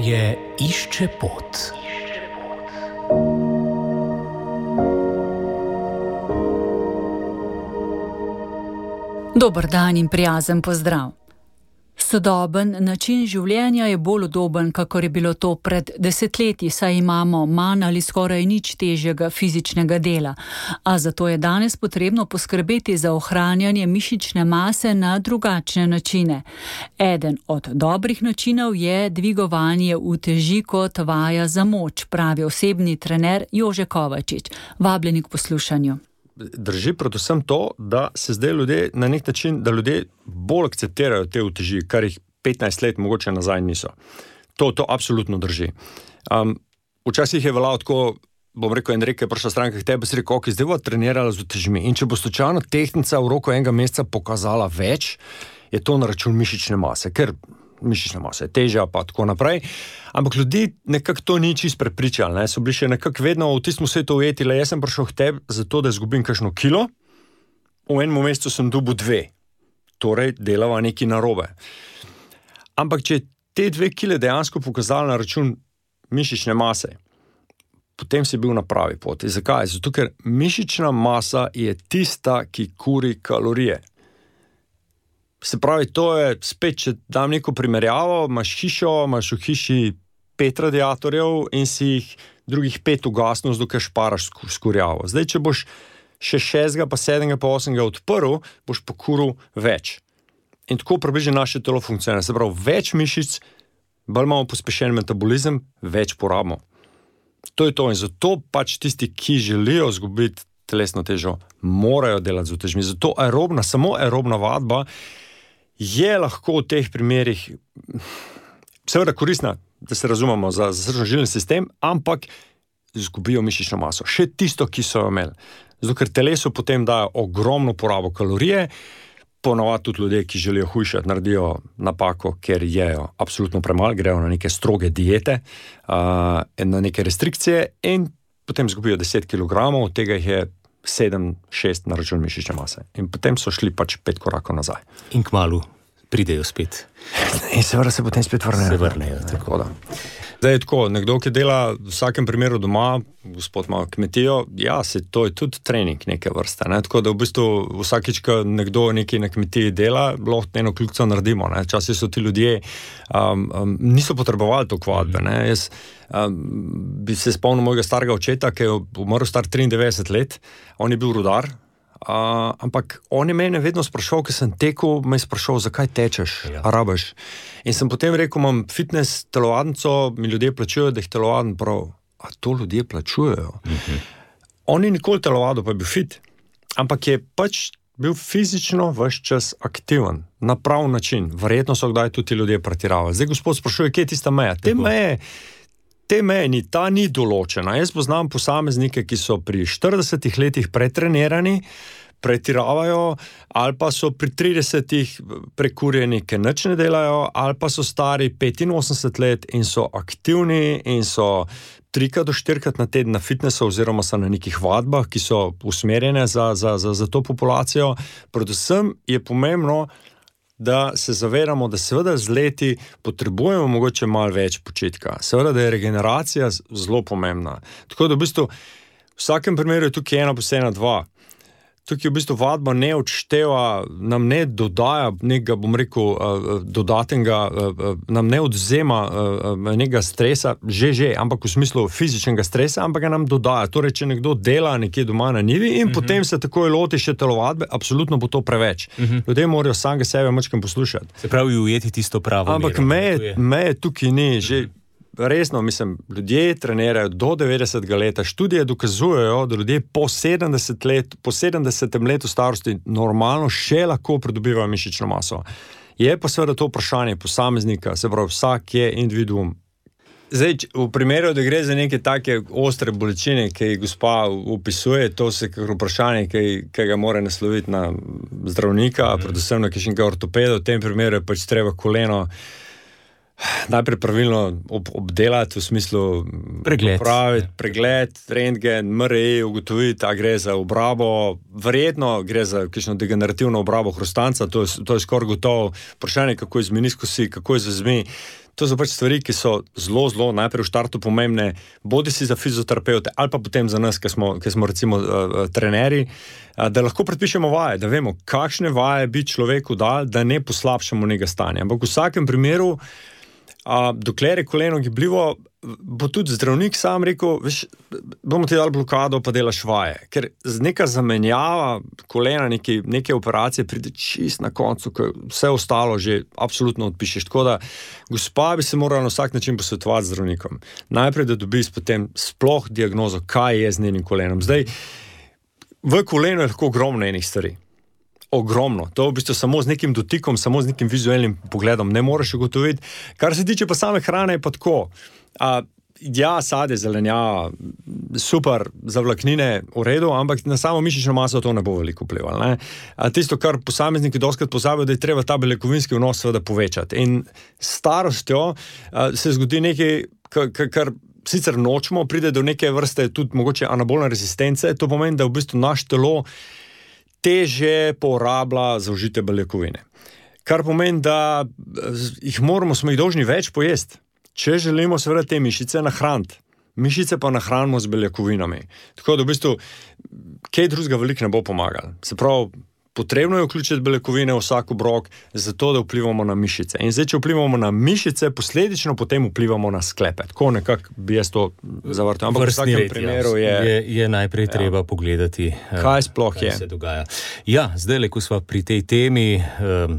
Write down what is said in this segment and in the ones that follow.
Zdravje išče pot. Dober dan in prijazen pozdrav. Sodoben način življenja je bolj udoben, kakor je bilo to pred desetletji, saj imamo manj ali skoraj nič težjega fizičnega dela. A zato je danes potrebno poskrbeti za ohranjanje mišične mase na drugačne načine. Eden od dobrih načinov je dvigovanje uteži kot vaja za moč, pravi osebni trener Jože Kovačič. Vabljeni k poslušanju. Drži predvsem to, da se zdaj ljudje na nek način, da ljudje bolj akceptirajo te uteži, kar jih 15 let mogoče nazaj niso. To absolutno drži. Včasih je veljalo tako, bom rekel, Enrique je prišla stranka k tebi, si rekel, ok, zdaj bo trenirala z utežmi. In če bo slučajno tehnica v roku enega meseca pokazala več, je to na račun mišične mase, ker mišična masa je težja, pa tako naprej. Ampak ljudi nekako to ni čisto prepričali, ne? So bili še nekako vedno v tistem svetu ujeti, le jaz sem prišel k tebi zato, da izgubim kakšno kilo, v enem mesecu sem dobil 2. Torej, delava nekaj narobe. Ampak če te 2 kile dejansko pokazali na račun mišične mase, potem si bil na pravi poti. Zakaj? Zato, ker mišična masa je tista, ki kuri kalorije. Se pravi, to je spet, če dam neko primerjavo, imaš hišo, imaš v hiši 5 radiatorjev in si jih drugih 5 ugasnil, dokaj šparaš skurjavo. Zdaj, če boš še 6, pa 7, pa 8 odprl, boš pokuril več. In tako približno naše telo funkcionira. Se pravi, več mišic, bolj imamo pospešen metabolizem, več porabimo. To je to in zato pač tisti, ki želijo izgubiti telesno težo, morajo delati z utežmi. Zato samo aerobna vadba je lahko v teh primerih seveda koristna, da se razumemo za srčno-žilni sistem, ampak izgubijo mišično maso. Še tisto, ki so jo imeli. Zato, ker telesu potem dajo ogromno porabo kalorije, ponavadi tudi ljudje, ki želijo hujšati, naredijo napako, ker jejo absolutno premalo, grejo na neke stroge diete, na neke restrikcije in potem izgubijo 10 kg, od tega jih je 7-6 na račun mišične mase. In potem so šli pač 5 korakov nazaj. In kmalu pridejo spet. In seveda se potem spet vrnejo. Se vrnejo, tako da. Zdaj je tako, nekdo, ki dela v vsakem primeru doma, gospod ima kmetijo, ja, to je tudi trening neke vrste. Ne? Tako da v bistvu vsakič, ko nekdo nekaj na kmetiji dela, lahko eno kljukico naredimo. Včasih so ti ljudje niso potrebovali to vadbe. Jaz bi se spomnil mojega starega očeta, ki je umrl star 93 let, on je bil rudar, ampak on je mene vedno sprašal, ker sem tekel, me je sprašal, zakaj tečeš, a rabiš. In sem potem rekel, imam fitness telovadnico, mi ljudje plačujejo, da jih telovadim prav. A to ljudje plačujejo? On ni nikoli telovadil, pa je bil fit, ampak je pač bil fizično ves čas aktiven, na prav način. Verjetno so kdaj tudi ljudje pretiravali. Zdaj gospod sprašuje, kje je tista meja? Te meje ni določena. Jaz poznam posameznike, ki so pri 40 letih pretrenirani, pretiravajo, ali pa so pri 30 prekurjeni, ker nič ne delajo, ali pa so stari 85 let in so aktivni in so 3 do 4 na teden na fitnessu oziroma so na nekih vadbah, ki so usmerjene za to populacijo. Predvsem je pomembno, da se zavedamo, da seveda z leti potrebujemo mogoče malo več počitka. Seveda, da je regeneracija zelo pomembna. Tako da v bistvu v vsakem primeru je tukaj 1 + 1 = 2. Tukaj v bistvu vadba ne odšteva, nam ne dodaja nekega, bom rekel, dodatnega, nam ne odzema nekega stresa, že, ampak v smislu fizičnega stresa, ampak ga nam dodaja. Torej, če nekdo dela nekje doma na njivi in potem se takoj loti še telovadbe, absolutno bo to preveč. Ljudje morajo samega sebe mačkam poslušati. Se pravi, ujeti tisto pravo mero. Ampak meje tukaj ni, že resno, mislim, ljudje trenirajo do 90. leta, študije dokazujejo, da ljudje po 70 letu starosti normalno še lahko pridobivajo mišično maso. Je pa seveda to vprašanje posameznika, se pravi, vsak je individuum. Zdaj, v primeru, da gre za neke take ostre bolečine, ki jih gospa opisuje, to se kakor vprašanje, ki ga mora nasloviti na zdravnika, predvsem na kakšnega ortopeda, v tem primeru je pač treba koleno najprej pravilno obdelati, v smislu pregled, rentgen, MRI, ugotoviti, a gre za obrabo, verjetno gre za kakšno degenerativno obrabo hrustanca, to je skoraj gotovo vprašanje, kako je z meniskusi, kako je z vezmi. To so pač stvari, ki so zelo najprej v štartu pomembne, bodi si za fizioterapeute ali pa potem za nas, ki smo recimo trenerji, da lahko predpišemo vaje, da vemo, kakšne vaje bi človeku dal, da ne poslabšamo njega stanja. Ampak v vsakem primeru, dokler je koleno gibljivo, bo tudi zdravnik sam rekel, veš, bomo ti dali blokado, pa delaš vaje. Ker neka zamenjava kolena, neke operacije pride čist na koncu, ko vse ostalo že absolutno odpišeš. Tako da, gospa bi se morala na vsak način posvetovati z zdravnikom. Najprej, da dobi potem sploh diagnozo, kaj je z njenim kolenom. Zdaj, v kolenu je lahko ogromno enih stvari. Ogromno. To v bistvu samo z nekim dotikom, samo z nekim vizualnim pogledom ne moreš ugotoviti. Kar se tiče pa same hrane, je pa tako. Sadje, zelenjava, super, za vlaknine v redu, ampak na samo mišično maso to ne bo veliko vplivalo. Tisto, kar posamezniki dostikrat pozabijo, da je treba ta beljakovinski vnos seveda povečati. In s starostjo se zgodi nekaj, kar sicer nočemo, pride do neke vrste tudi mogoče anabolne rezistence, to pomeni, da v bistvu naš telo teže porablja zaužite beljakovine. Kar pomeni, da smo jih dolžni več pojesti, če želimo seveda te mišice nahraniti. Mišice pa nahranimo z beljakovinami. Tako da v bistvu kaj drugega veliko ne bo pomagalo. Se pravi, potrebno je vključiti beljakovine v vsak obrok, zato da vplivamo na mišice. In zdaj, če vplivamo na mišice, posledično potem vplivamo na sklepe. Tako nekako bi jaz to zavrtel. Ampak v vsakem primeru je najprej treba pogledati, kaj sploh se dogaja. Ja, zdaj, ko sva pri tej temi,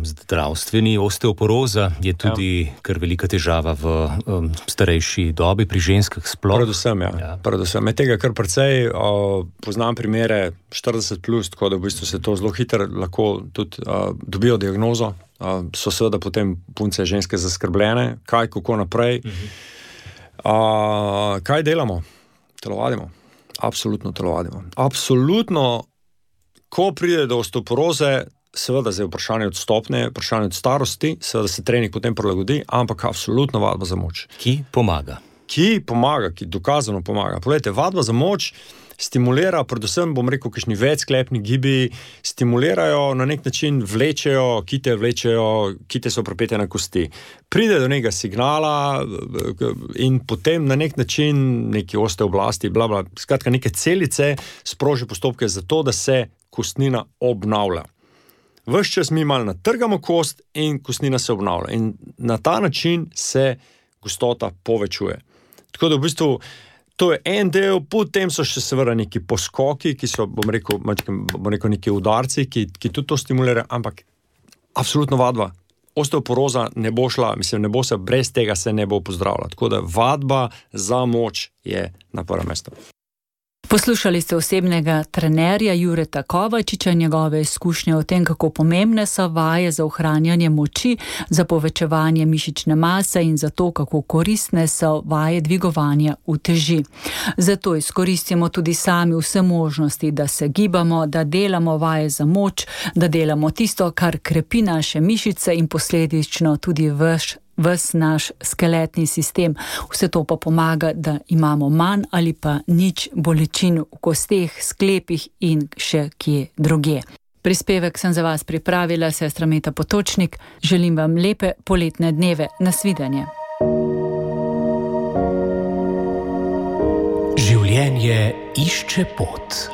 zdravstveni osteoporoza je tudi kar velika težava v starejši dobi, pri ženskah sploh. Predvsem. Med tega kar precej poznam primere 40+, tako da v bistvu se to zelo hitro lahko tudi dobijo diagnozo. So seveda potem punce ženske zaskrbljene, kaj, kako naprej. Kaj delamo? Telovadimo. Absolutno telovadimo. Absolutno, ko pride do osteoporoze, seveda zdaj vprašanje od stopnje, vprašanje od starosti, seveda se trening potem prilagodi, ampak absolutno vadba za moč. Ki pomaga, ki dokazano pomaga. Poglejte, vadba za moč stimulira, predvsem, bom rekel, kakšni večsklepni gibi, stimulirajo, na nek način vlečejo, kite so pripete na kosti. Pride do nekega signala in potem na nek način neki osteoblasti, skratka neke celice sproži postopke za to, da se kostnina obnavlja. Ves čas mi malo natrgamo kost in kostnina se obnavlja. In na ta način se gostota povečuje. Tako da v bistvu to je en del, potem so še seveda neki poskoki, ki so, bom rekel, neki udarci, ki tudi to stimulirajo, ampak absolutno vadba. Osteoporoza ne bo šla, ne bo se, brez tega se ne bo pozdravila. Tako da vadba za moč je na prvem mestu. Poslušali ste osebnega trenerja Jureta Kovačiča, njegove izkušnje o tem, kako pomembne so vaje za ohranjanje moči, za povečevanje mišične mase in za to, kako koristne so vaje dvigovanja uteži. Zato izkoristimo tudi sami vse možnosti, da se gibamo, da delamo vaje za moč, da delamo tisto, kar krepi naše mišice in posledično tudi ves naš skeletni sistem. Vse to pa pomaga, da imamo manj ali pa nič bolečin v kosteh, sklepih in še kje drugje. Prispevek sem za vas pripravila sestra Meta Potočnik. Želim vam lepe poletne dneve. Nasvidenje. Življenje išče pot.